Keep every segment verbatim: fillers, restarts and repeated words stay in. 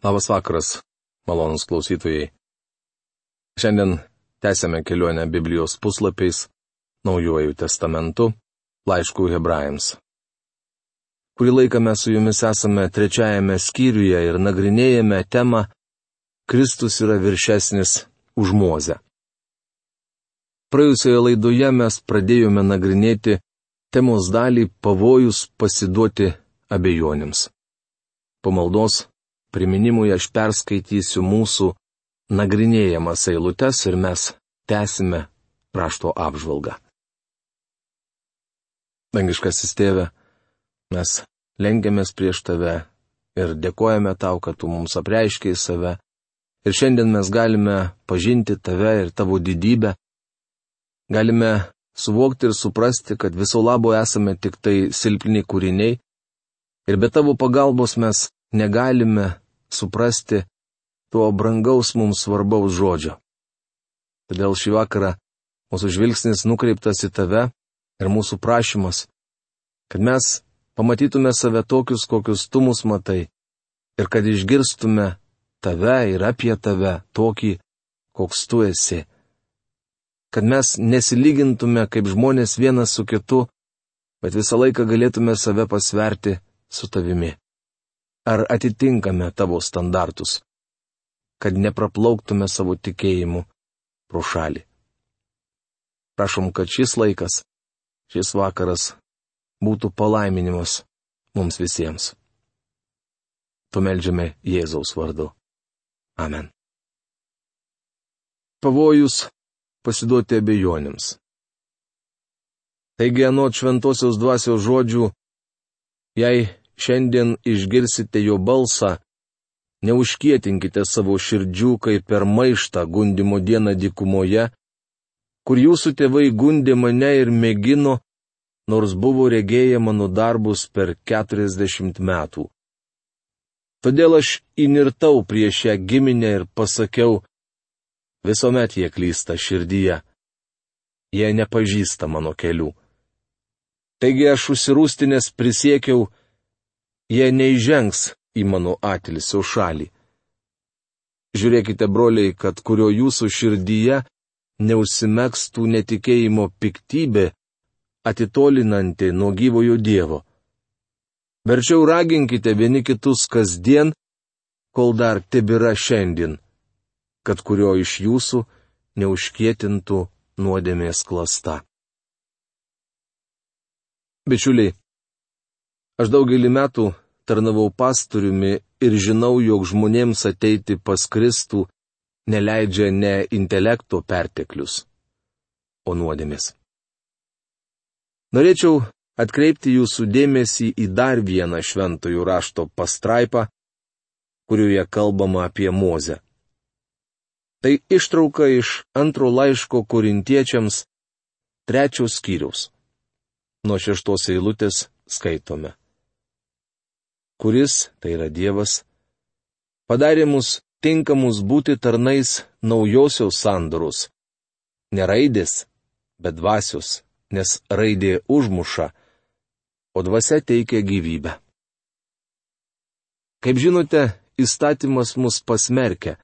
Labas vakaras, malonūs klausytojai. Šiandien tęsėme kelionę Biblijos puslapiais, Naujuoju testamentu, laiškų Hebrajams. Kurį laiką mes su jumis esame trečiajame skyriuje ir nagrinėjame temą Kristus yra viršesnis už Mozę. Praėjusioje laidoje mes pradėjome nagrinėti temos dalį pavojus pasiduoti abejonėms. Po maldos priminimui aš perskaitysiu mūsų nagrinėjamas eilutes ir mes tęsime rašto apžvalgą. Dangiškasis Tėve, mes lenkiamės prieš Tave ir dėkojame Tau, kad Tu mums apreiškei save. Ir šiandien mes galime pažinti Tave ir Tavo didybę. Galime suvokti ir suprasti, kad viso labo esame tik tai silpni kūriniai. Ir be Tavo pagalbos mes negalime suprasti to brangaus mums svarbaus žodžio. Todėl šį vakarą mūsų žvilgsnis nukreiptas į Tave ir mūsų prašymas, kad mes pamatytume save tokius, kokius Tu mus matai, ir kad išgirstume Tave ir apie Tave tokį, koks Tu esi. Kad mes nesilygintume kaip žmonės vienas su kitu, bet visą laiką galėtume save pasverti su Tavimi. Ar atitinkame Tavo standartus, kad nepraplauktume savo tikėjimu pro šalį. Prašom, kad šis laikas, šis vakaras būtų palaiminimas mums visiems. Tu meldžiame Jėzaus vardu. Amen. Pavojus pasiduoti abejonėms. Taigi, anot šventosios dvasios žodžių, jei šiandien išgirsite jo balsą, neužkietinkite savo širdžių kaip per maištą gundymo dieną dykumoje, kur jūsų tėvai gundė mane ir mėgino, nors buvo regėję mano darbus per keturiasdešimt metų. Todėl aš įnirtau prieš šią giminę ir pasakiau, visuomet jie klysta širdyje. Jie nepažįsta mano kelių. Taigi aš užsirūstinęs prisiekiau, jie neįžengs į mano atilsio šalį. Žiūrėkite, broliai, kad kurio jūsų širdyje neužsimegstų netikėjimo piktybė, atitolinanti nuo gyvojo Dievo. Verčiau raginkite vieni kitus kasdien, kol dar tebėra šiandien, kad kurio iš jūsų neužkietintų nuodėmės klasta. Bičiuliai, aš daugelį metų tarnavau pastoriumi ir žinau, jog žmonėms ateiti pas Kristų neleidžia ne intelekto perteklius, o nuodėmės. Norėčiau atkreipti jūsų dėmesį į dar vieną šventojų rašto pastraipą, kurioje kalbama apie Mozę. Tai ištrauka iš antro laiško Korintiečiams trečios skyriaus. Nuo šeštos eilutės skaitome. Kuris, tai yra Dievas, padarė mus tinkamus būti tarnais naujosios sandoros. Ne raidės, bet dvasios, nes raidė užmuša, o dvasia teikia gyvybę. Kaip žinote, įstatymas mus pasmerkia.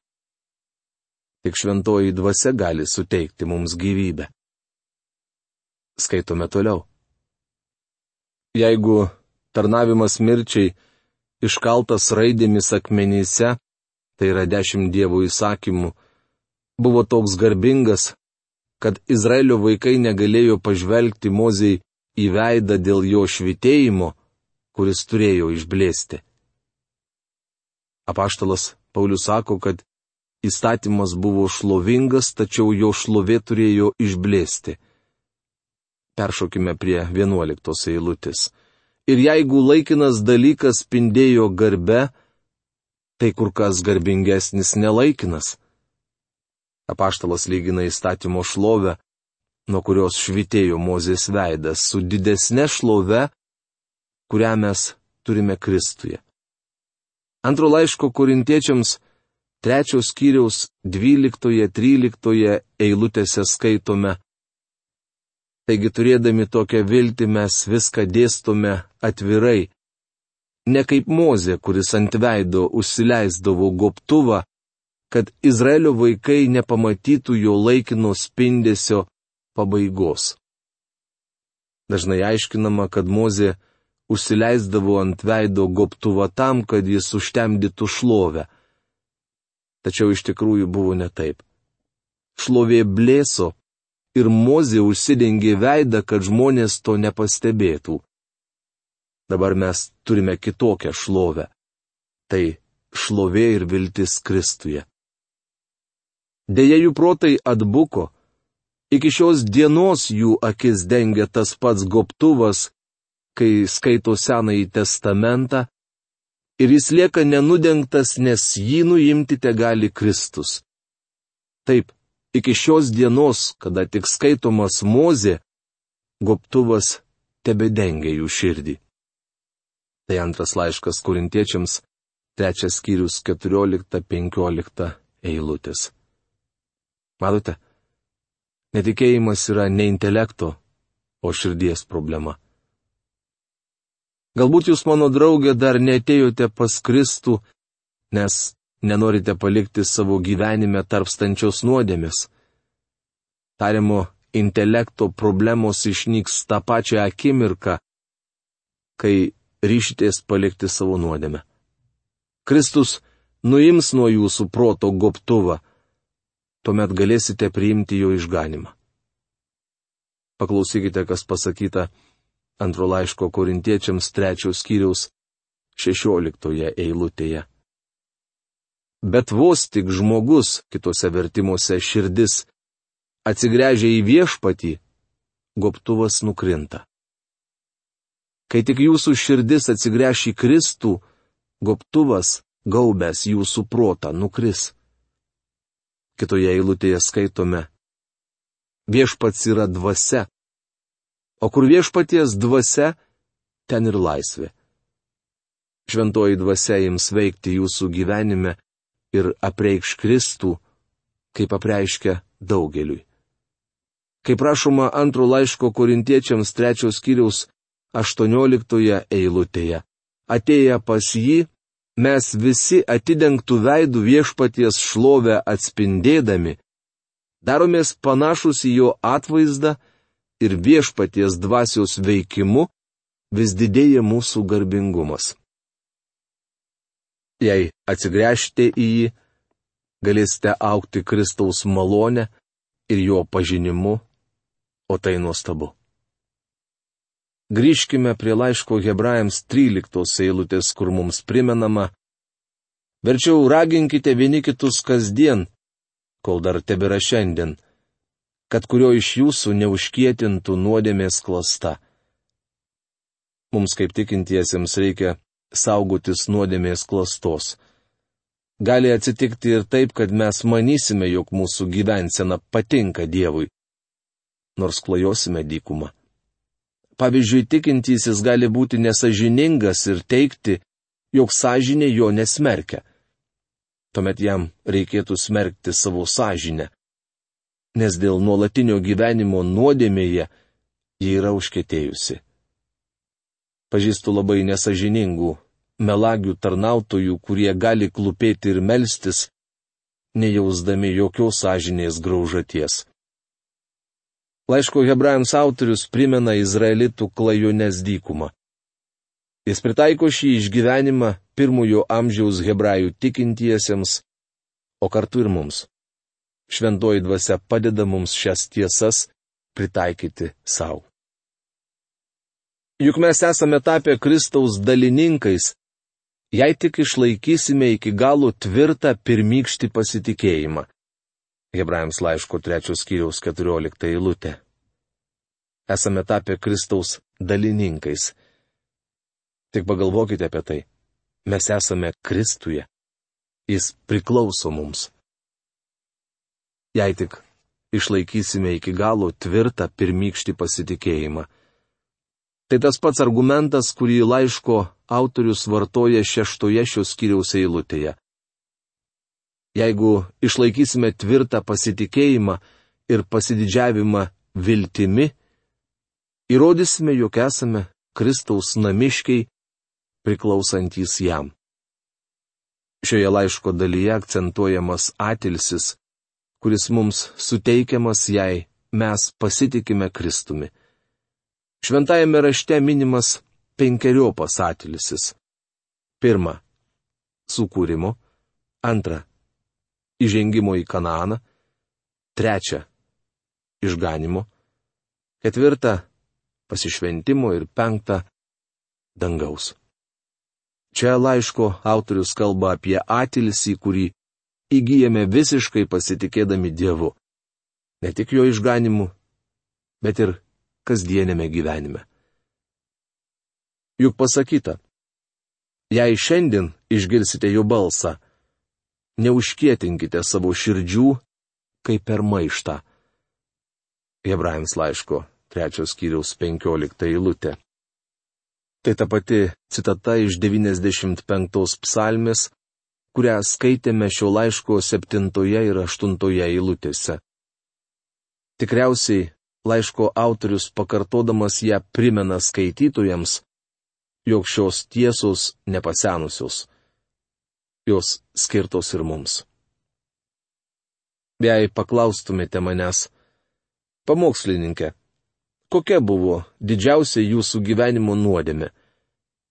Tik šventoji dvasia gali suteikti mums gyvybę. Skaitome toliau. Jeigu tarnavimas mirčiai iškaltas raidėmis akmenyse, tai yra dešimt Dievo įsakymų, buvo toks garbingas, kad Izraelio vaikai negalėjo pažvelgti Mozei į veidą dėl jo švytėjimo, kuris turėjo išblėsti. Apaštalas Paulius sako, kad įstatymas buvo šlovingas, tačiau jo šlovė turėjo išblėsti. Peršokime prie vienuoliktos eilutės. Ir jeigu laikinas dalykas spindėjo garbe, tai kur kas garbingesnis nelaikinas. Apaštalas lygina įstatymo šlovę, nuo kurios švytėjo Mozės veidas, su didesne šlove, kurią mes turime Kristuje. Antro laiško Korintiečiams trečios skyriaus dvyliktoje, tryliktoje eilutėse skaitome. Taigi turėdami tokią viltį mes viską dėstome atvirai, ne kaip Mozė, kuris ant veido užsileisdavo gobtuvą, kad Izraelio vaikai nepamatytų jo laikino spindesio pabaigos. Dažnai aiškinama, kad Mozė užsileisdavo ant veido gobtuvą tam, kad jis užtemdytų šlovę. Tačiau iš tikrųjų buvo ne taip. Šlovė blėso ir Mozė užsidengė veidą, kad žmonės to nepastebėtų. Dabar mes turime kitokią šlovę. Tai šlovė ir viltis Kristuje. Deja, jų protai atbuko. Iki šios dienos jų akis dengia tas pats gobtuvas, kai skaito Senąjį testamentą, ir jis lieka nenudengtas, nes jį nuimti tegali Kristus. Taip, iki šios dienos, kada tik skaitomas Mozė, gobtuvas tebedengia jų širdį. Tai antras laiškas Korintiečiams, trečias skyrius, keturiolikta penkiolikta eilutės. Matote, netikėjimas yra ne intelekto, o širdies problema. Galbūt jūs, mano draugė, dar neatėjote pas Kristų, nes nenorite palikti savo gyvenime tarpstančios nuodėmės. Tariamo intelekto problemos išnyks tą pačią akimirką, kai ryšitės palikti savo nuodėmę. Kristus nuims nuo jūsų proto gobtuvą, tuomet galėsite priimti jo išganimą. Paklausykite, kas pasakyta antro laiško Korintiečiams trečios skyriaus šešioliktoje eilutėje. Bet vos tik žmogus, kitose vertimuose širdis, atsigręžia į viešpatį, gobtuvas nukrinta. Kai tik jūsų širdis atsigręš į Kristų, gobtuvas, gaubęs jūsų protą, nukris. Kitoje eilutėje skaitome: viešpats yra dvasia, o kur viešpaties dvasia, ten ir laisvė. Šventoji dvasia ims veikti jūsų gyvenime ir apreikš Kristų, kaip apreiškia daugeliui. Kaip rašoma antro laiško Korintiečiams trečios skyriaus aštuonioliktoje eilutėje, atėję pas jį, mes visi atidengtų veidų viešpaties šlovę atspindėdami, daromės panašus į jo atvaizdą ir viešpaties dvasios veikimu vis didėja mūsų garbingumas. Jei atsigręžite į jį, galėsite augti Kristaus malonę ir jo pažinimu, o tai nuostabu. Grįžkime prie laiško Hebrajams tryliktos eilutės, kur mums primenama: verčiau raginkite vieni kitus kasdien, kol dar tebėra šiandien, kad kurio iš jūsų neužkietintų nuodėmės klasta. Mums kaip tikintiesiems reikia saugotis nuodėmės klastos. Gali atsitikti ir taip, kad mes manysime, jog mūsų gyvensena patinka Dievui, nors klajosime dykumą. Pavyzdžiui, tikintysis gali būti nesažiningas ir teigti, jog sąžinė jo nesmerkia. Tuomet jam reikėtų smerkti savo sąžinę, nes dėl nuolatinio gyvenimo nuodėmėje ji yra užkietėjusi. Pažįstu labai nesažiningų, melagių tarnautojų, kurie gali klūpėti ir melstis, nejausdami jokios sąžinės graužaties. Laiško Hebrajams autorius primena izraelitų klajonės dykumą. Jis pritaiko šį išgyvenimą pirmojo amžiaus hebrajų tikintiesiems, o kartu ir mums. Šventoji dvasia padeda mums šias tiesas pritaikyti savo. Juk mes esame tapę Kristaus dalininkais, jei tik išlaikysime iki galo tvirtą pirmykštį pasitikėjimą. Hebrajams laiško trečios skyriaus keturiolikta eilutė. Esame tapę Kristaus dalininkais. Tik pagalvokite apie tai. Mes esame Kristuje. Jis priklauso mums. Jei tik išlaikysime iki galo tvirtą pirmykštį pasitikėjimą. Tai tas pats argumentas, kurį laiško autorius vartoja šeštoje šios skyriaus eilutėje. Jeigu išlaikysime tvirtą pasitikėjimą ir pasididžiavimą viltimi, įrodysime, jog esame Kristaus namiškiai priklausantys jam. Šioje laiško dalyje akcentuojamas atilsis, kuris mums suteikiamas, jei mes pasitikime Kristumi. Šventajame rašte minimas penkeriopas atilsis. Pirma, sukūrimo. Antra, įžengimo į Kanaaną. Trečia, išganimo. Ketvirta, pasišventimo. Ir penkta, dangaus. Čia laiško autorius kalba apie atilsį, kurį įgyjame visiškai pasitikėdami Dievu. Ne tik jo išganimu, bet ir kasdienėme gyvenime. Juk pasakyta, jei šiandien išgirsite jo balsą, neužkietinkite savo širdžių, kaip per maištą. Hebrajams laiško trečios skyriaus penkiolikta eilutė. Tai ta pati citata iš devyniasdešimt penktos psalmės, kurią skaitėme šio laiško septintoje ir aštuntoje eilutėse. Tikriausiai laiško autorius pakartodamas ją primena skaitytojams, jog šios tiesos nepasenusios. Jos skirtos ir mums. Jei paklaustumėte manęs, pamokslininkė, kokia buvo didžiausia jūsų gyvenimo nuodėmė?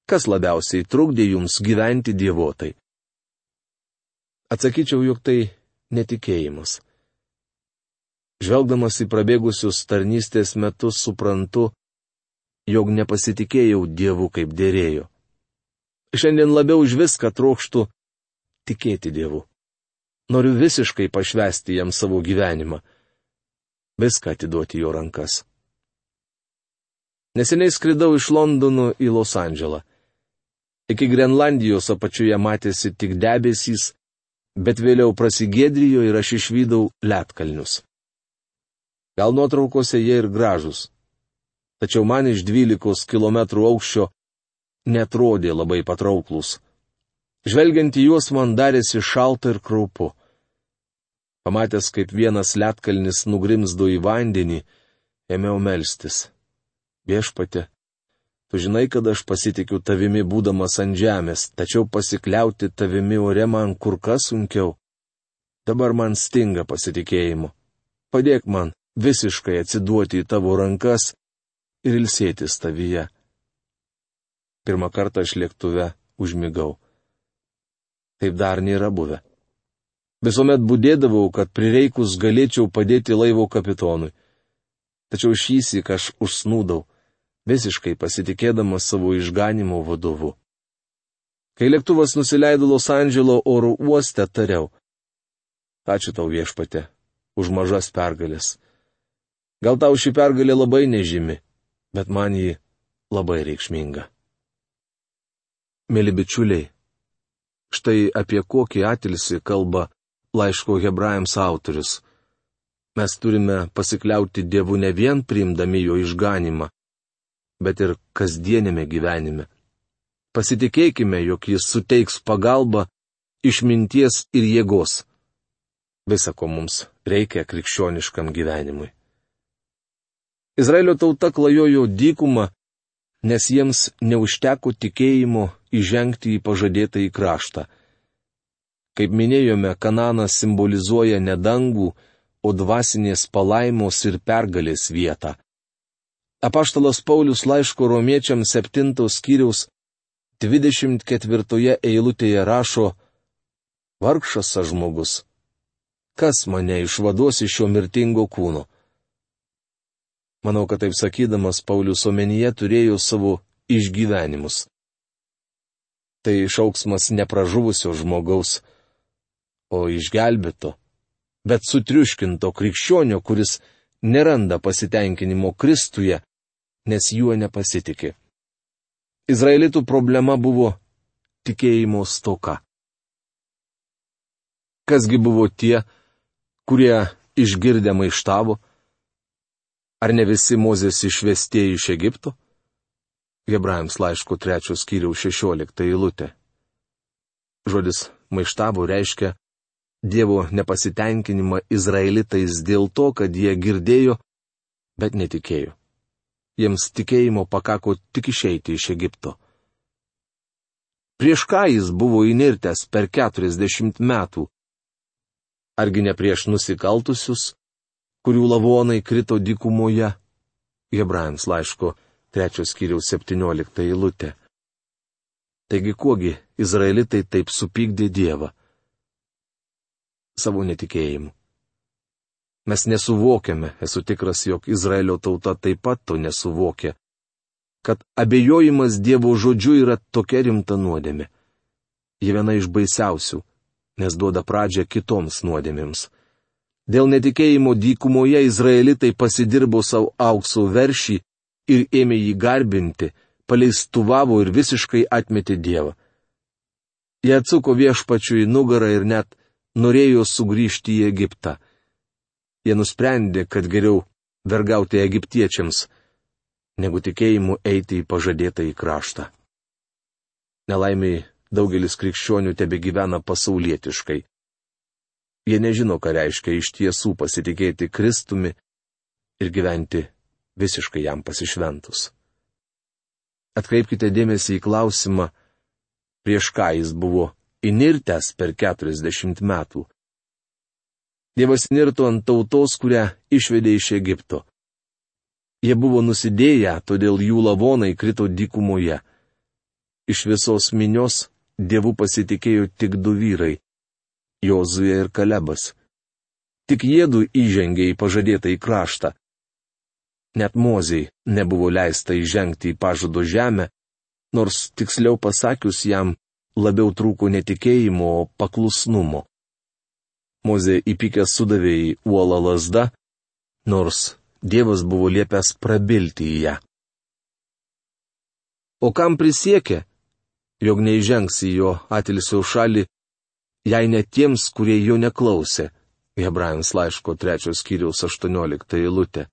Kas labiausiai trukdė jums gyventi dievotai? Atsakyčiau, jog tai netikėjimas. Žvelgdamas į prabėgusius tarnystės metus suprantu, jog nepasitikėjau Dievu kaip dėrėjo. Šiandien labiau už viską trokštu tikėti Dievu. Noriu visiškai pašvęsti jam savo gyvenimą. Viską atiduoti jo rankas. Neseniai skridau iš Londono į Los Andželą. Iki Grenlandijos apačioje matėsi tik debesys, bet vėliau prasigėdrijo ir aš išvydau ledkalnius. Gal nuotraukose jie ir gražus, tačiau man iš dvylikos kilometrų aukščio netrodė labai patrauklus. Žvelgiant į juos man darėsi šalta ir kraupu. Pamatęs, kaip vienas ledkalnis nugrimzdo į vandenį, ėmiau melstis. Viešpatie, tu žinai, kad aš pasitikiu tavimi būdamas ant žemės, tačiau pasikliauti tavimi ore man kur kas sunkiau. Dabar man stinga pasitikėjimo. Padėk man visiškai atsiduoti į tavo rankas ir ilsėtis tavyje. Pirmą kartą aš lėktuve užmigau. Taip dar nėra buvę. Visuomet budėdavau, kad prireikus galėčiau padėti laivo kapitonui. Tačiau šįsyk aš užsnūdau, visiškai pasitikėdamas savo išganimo vadovu. Kai lėktuvas nusileido Los Andželo oro uoste, tariau: ačiū tau, viešpatie, už mažas pergalės. Gal tau ši pergalė labai nežymi, bet man ji labai reikšminga. Mėly bičiuliai, štai apie kokį atilsį kalba laiško Hebrajams autorius. Mes turime pasikliauti Dievu ne vien priimdami jo išganimą, bet ir kasdienėme gyvenime. Pasitikėkime, jog jis suteiks pagalbą, išminties ir jėgos. Visa, ko mums reikia krikščioniškam gyvenimui. Izraelio tauta klajojo dykumą, nes jiems neužteko tikėjimo įžengti į pažadėtąjį kraštą. Kaip minėjome, Kanaanas simbolizuoja ne dangų, o dvasinės palaimos ir pergalės vietą. Apaštalas Paulius laiško romiečiams septintos skyriaus dvidešimt ketvirtoje eilutėje rašo: vargšas aš žmogus, kas mane išvaduos iš šio mirtingo kūno? Manau, kad taip sakydamas Paulius omenyje turėjo savo išgyvenimus. Tai šauksmas nepražuvusio žmogaus, o išgelbėto, bet sutriuškinto krikščionio, kuris neranda pasitenkinimo Kristuje, nes juo nepasitikė. Izraelitų problema buvo tikėjimo stoka. Kasgi buvo tie, kurie išgirdę maištavo? Ar ne visi Mozės išvestieji iš Egipto? Hebrajams laiško trečios skyriaus šešiolikta eilutė. Žodis maištavo reiškia Dievo nepasitenkinimą izraelitais dėl to, kad jie girdėjo, bet netikėjo. Jiems tikėjimo pakako tik išeiti iš Egipto. Prieš ką jis buvo įnirtęs per keturiasdešimt metų? Argi ne prieš nusikaltusius, kurių lavonai krito dykumoje? Hebrajams laiško trečios skyriaus septyniolikta eilutė. Taigi kuogi izraelitai taip supykdė Dievą? Savo netikėjimu. Mes nesuvokiame, esu tikras, jog Izraelio tauta taip pat to nesuvokia, kad abejojimas Dievo žodžiu yra tokia rimta nuodėmė. Ji viena iš baisiausių, nes duoda pradžią kitoms nuodėmėms. Dėl netikėjimo dykumoje izraelitai pasidirbo savo aukso veršį ir ėmė jį garbinti, paleistuvavo ir visiškai atmetė Dievą. Jie atsuko viešpačiui į nugarą ir net norėjo sugrįžti į Egiptą. Jie nusprendė, kad geriau vergauti egiptiečiams, negu tikėjimu eiti į pažadėtą į kraštą. Nelaimiai daugelis krikščionių tebegyvena pasaulietiškai. Jie nežino, ką reiškia iš tiesų pasitikėti Kristumi ir gyventi visiškai jam pasišventus. Atkreipkite dėmesį į klausimą, prieš ką jis buvo įnirtęs per keturiasdešimt metų. Dievas nirto ant tautos, kurią išvedė iš Egipto. Jie buvo nusidėję, todėl jų lavonai krito dykumoje. Iš visos minios Dievu pasitikėjo tik du vyrai - Jozuė ir Kalebas. Tik jiedu įžengė į pažadėtą į kraštą. Net Mozei nebuvo leista įžengti į pažado žemę, nors tiksliau pasakius jam labiau trūko netikėjimo, o paklusnumo. Mozė įpykęs sudavė į uolą lazdą, nors Dievas buvo liepęs prabilti į ją. O kam prisiekė, jog neįžengs į jo atilsio šalį, jei ne tiems, kurie jo neklausė? Hebrajams laiško trečios skyriaus aštuoniolikta eilutė.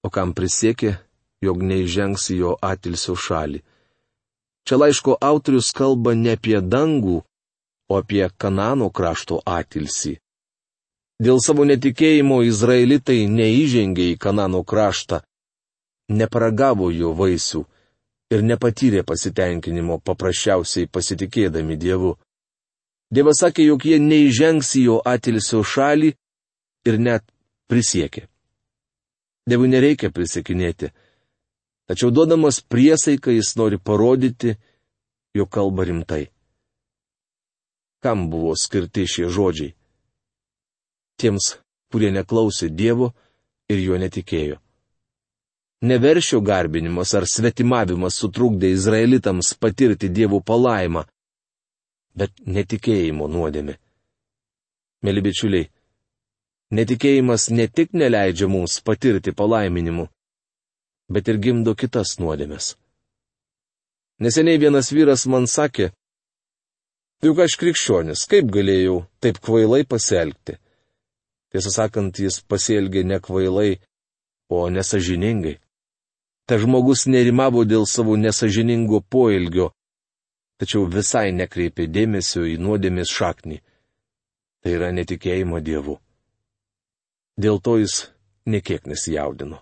O kam prisiekė, jog neįžengs į jo atilsio šalį? Čia laiško autorius kalba ne apie dangų, o apie Kanano krašto atilsį. Dėl savo netikėjimo izraelitai neįžengė į Kanano kraštą, neparagavo jo vaisių ir nepatyrė pasitenkinimo paprasčiausiai pasitikėdami Dievu. Dievas sakė, jog jie neįžengs į jo atilsio šalį ir net prisiekė. Dievui nereikia prisiekinėti, tačiau duodamas priesaiką jis nori parodyti, jog kalba rimtai. Kam buvo skirti šie žodžiai? Tiems, kurie neklausė Dievo ir juo netikėjo. Neveršio garbinimas ar svetimavimas sutrukdė izraelitams patirti Dievo palaimą, bet netikėjimo nuodėmė. Mėly bičiuliai, netikėjimas ne tik neleidžia mums patirti palaiminimų, bet ir gimdo kitas nuodėmes. Neseniai vienas vyras man sakė, juk aš krikščionis, kaip galėjau taip kvailai pasielgti? Tiesą sakant, jis pasielgė ne kvailai, o nesažiningai. Ta žmogus nerimavo dėl savo nesažiningo poelgio, tačiau visai nekreipė dėmesio į nuodėmės šaknį. Tai yra netikėjimo Dievu. Dėl to jis nekiek nesijaudino.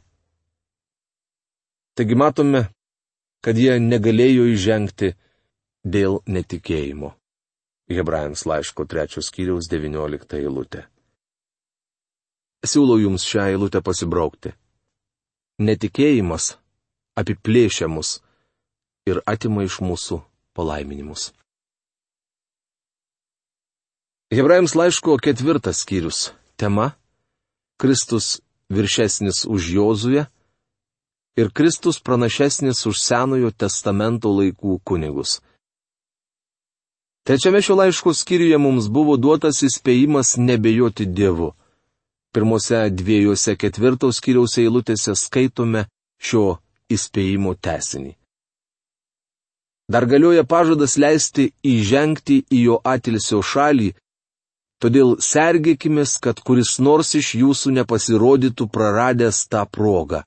Taigi matome, kad jie negalėjo įžengti dėl netikėjimo. Hebrajams laiško trečios skyriaus devyniolikta eilutė. Siūlau jums šią eilutę pasibraukti. Netikėjimas apiplėšia mus ir atima iš mūsų palaiminimus. Hebrajams laiško ketvirtas skyrius. Tema - Kristus viršesnis už Jozuę ir Kristus pranašesnis už Senojo testamento laikų kunigus. Trečiame šio laiško skyriuje mums buvo duotas įspėjimas nebejoti Dievu. Pirmose dviejose ketvirtos skyriaus eilutėse skaitome šio įspėjimo tęsinį. Dar galioja pažadas leisti įžengti į jo atilsio šalį, todėl sergėkimės, kad kuris nors iš jūsų nepasirodytų praradęs tą progą.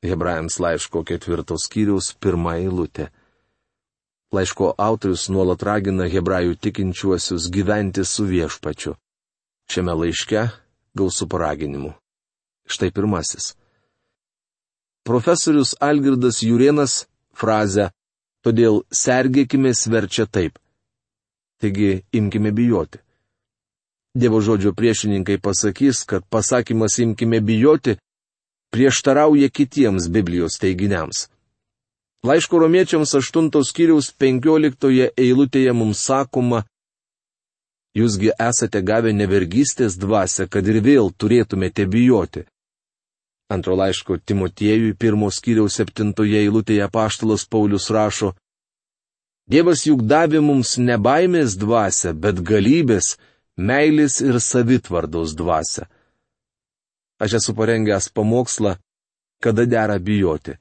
Hebrajams laiško ketvirtos skyriaus pirma eilutė. Laiško autorius nuolat ragina hebrajų tikinčiuosius gyventi su viešpačiu. Šiame laiške gausu paraginimų. Štai pirmasis. Profesorius Algirdas Jurėnas frazę Todėl sergėkime verčia taip. Taigi imkime bijoti. Dievo žodžio priešininkai pasakys, kad pasakymas imkime bijoti prieštarauja kitiems Biblijos teiginiams. Laiško romiečiams aštuntos skyriaus penkioliktoje eilutėje mums sakoma: Jūsgi esate gavę nevergystės dvasią, kad ir vėl turėtumėte bijoti. Antro laiško Timotiejui pirmos skyriaus septintoje eilutėje apaštalas Paulius rašo: Dievas juk davė mums ne baimės dvasią, bet galybės, meilės ir savitvardos dvasią. Aš esu parengęs pamokslą, kada dera bijoti.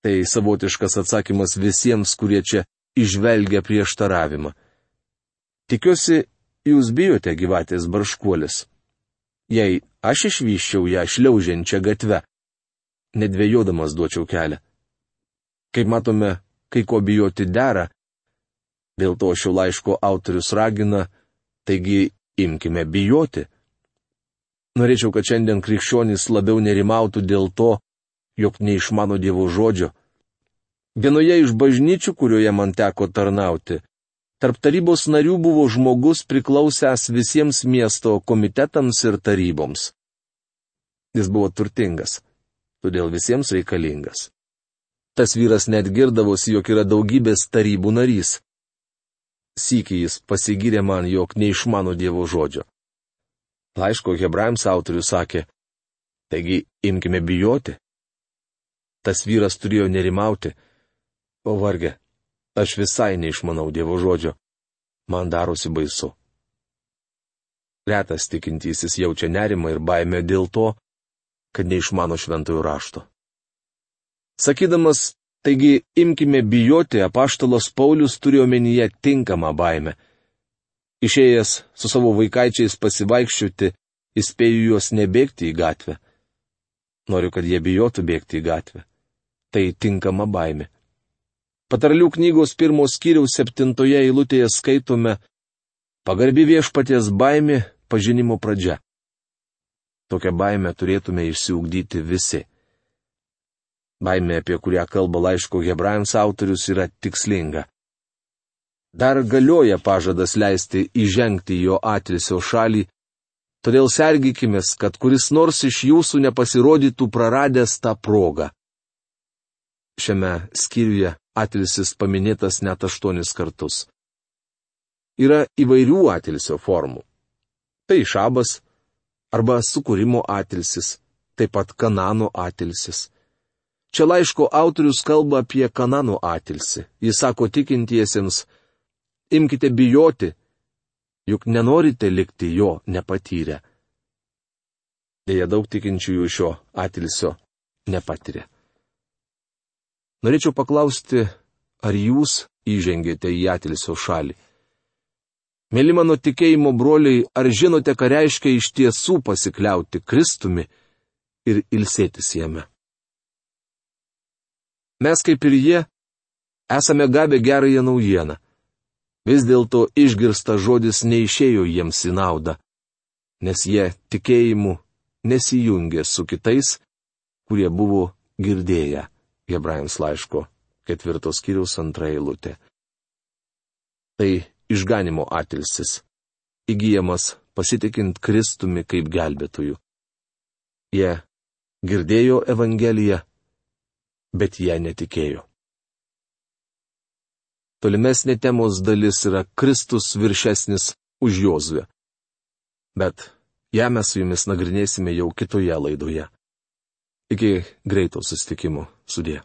Tai savotiškas atsakymas visiems, kurie čia išvelgia prieštaravimą. Tikiuosi, jūs bijote gyvatės barškuolis. Jei aš išvyščiau ją šliaužiančią gatvę, nedvėjodamas duočiau kelią. Kaip matome, kai ko bijoti dera, dėl to šio laiško autorius ragina, taigi imkime bijoti. Norėčiau, kad šiandien krikščionys labiau nerimautų dėl to, jog neišmano Dievo žodžio. Vienoje iš bažnyčių, kurioje man teko tarnauti, tarp tarybos narių buvo žmogus priklausęs visiems miesto komitetams ir taryboms. Jis buvo turtingas, todėl visiems reikalingas. Tas vyras net girdavosi, jog yra daugybės tarybų narys. Sykį jis pasigyrė man, jog neišmano Dievo žodžio. Laiško Hebrajams autorius sakė: Taigi imkime bijoti. Tas vyras turėjo nerimauti. O varge, aš visai neišmanau Dievo žodžio. Man darosi baisu. Retas tikintysis jaučia nerimą ir baimę dėl to, kad neišmano šventojo rašto. Sakydamas, taigi imkime bijoti, apaštalas Paulius turėjo omenyje tinkamą baimę. Išėjęs su savo vaikaičiais pasivaikščioti, įspėju juos nebėgti į gatvę. Noriu, kad jie bijotų bėgti į gatvę. Tai tinkama baimė. Patarlių knygos pirmos skyriaus septintoje eilutėje skaitome: Pagarbi viešpaties baimė, pažinimo pradžia. Tokią baimę turėtume išsiugdyti visi. Baimė, apie kurią kalba laiško Hebrajams autorius, yra tikslinga. Dar galioja pažadas leisti įžengti jo atilsio šalį, todėl sergykimės, kad kuris nors iš jūsų nepasirodytų praradęs tą progą. Šiame skyriuje atilsis paminėtas net aštuonis kartus. Yra įvairių atilsio formų. Tai šabas arba sukūrimo atilsis, taip pat Kanano atilsis. Čia laiško autorius kalba apie Kanano atilsį. Jis sako tikintiesiems: Imkite bijoti, juk nenorite likti jo nepatyrę. Deja, daug tikinčiųjų šio atilsio nepatiria. Norėčiau paklausti, ar jūs įžengėte į atilsio šalį? Mėly mano tikėjimo broliai, ar žinote, ką reiškia iš tiesų pasikliauti Kristumi ir ilsėtis jame? Mes, kaip ir jie, esame gavę gerąją naujieną. Vis dėlto išgirstas žodis neišėjo jiems į naudą, nes jie tikėjimu nesijungė su kitais, kurie buvo girdėję. Hebrajams laiško ketvirtos skyriaus antra eilutė. Tai išganimo atilsis, įgyjamas pasitikint Kristumi kaip gelbėtoju. Jie girdėjo Evangeliją, bet jie netikėjo. Tolimesnė temos dalis yra Kristus viršesnis už Jozuę. Bet ją mes su jumis nagrinėsime jau kitoje laidoje. Iki greito susitikimo. Sudie.